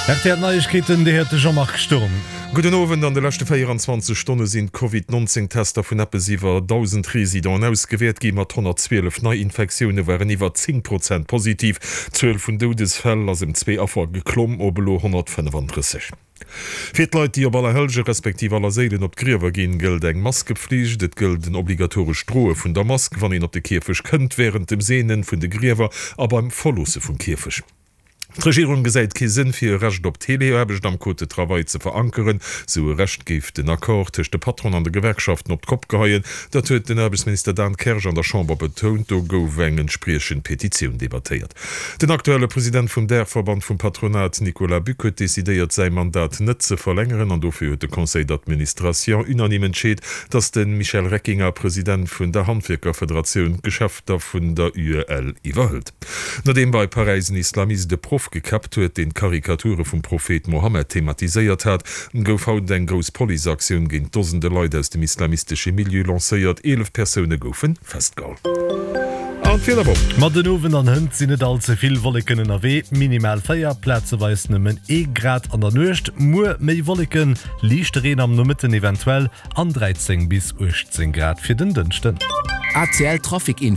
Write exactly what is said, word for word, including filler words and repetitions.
R T L Neiegkeeten, déi huet de Jean-Marc Sturm. Gudden Owend, An de leschte véieranzwanzeg Stonne sinn d'Covid neunzéng Tester vun eppes iwwer dausend Residenten ausgewäert gi. Mat honnertzwielef Neiinfektioune waren iwwer zéng Prozent positiv. D'Zuel vun Doudesfäll ass ëm zwee Affer geklomm op elo honnertfënnefandrësseg. Fir d'Leit, déi op Allerhellge respektiv Allerséilen op d'Griewer ginn, gëllt eng Maskepflicht. Et gëllt en obligatorescht Droe vun der Mask, wann een op de Kierfecht kënnt, wärend dem Seene vun de Griewer a beim Verloosse vum Kierfecht. D'Regierung gesäit kee Sënn fir e Recht op Teleaarbecht am Code de travail ze verankeren. Sou e Recht géif den Accord tëscht de Patronen an de Gewerkschaften op d'Kopp geheien. Dat huet den Aarbechtsminister Dan Kersch an der Chamber betount. Do gouf eng entspriechend Petitioun debattéiert. Den aktuelle President vum Daachverband vum Patronat, Nicolas Buck, huet decidéiert säi Mandat net ze verlängeren an dofir huet de Conseil d'administration unanime entscheet, datt de Michel Reckinger, President vun der Handwierkerfederatioun, d'Geschäfter vun der U E L iwwerhëlt. Nodeem bei Paräis en Islamist e Proff gekäppt huet, deen Karikature vum Prophet Mohammed thematiséiert hat, gouf haut eng grouss Policeaktioun géint Dosende Leit aus dem islamistesche Milieu lancéiert. Eelef Persoune goufe festgeholl. An d'Wiederwoch. Ma den Owend an hënt sinn net all ze vill Wolleken ënnerwee, minimal véier, plazeweis nëmmen ee Grad an der Nuecht. Muer méi Wolleken, liichte Reen am Nomëtten eventuell an dräizéng bis uechtzéng Grad fir den Dënschden. A C L Trafic Info.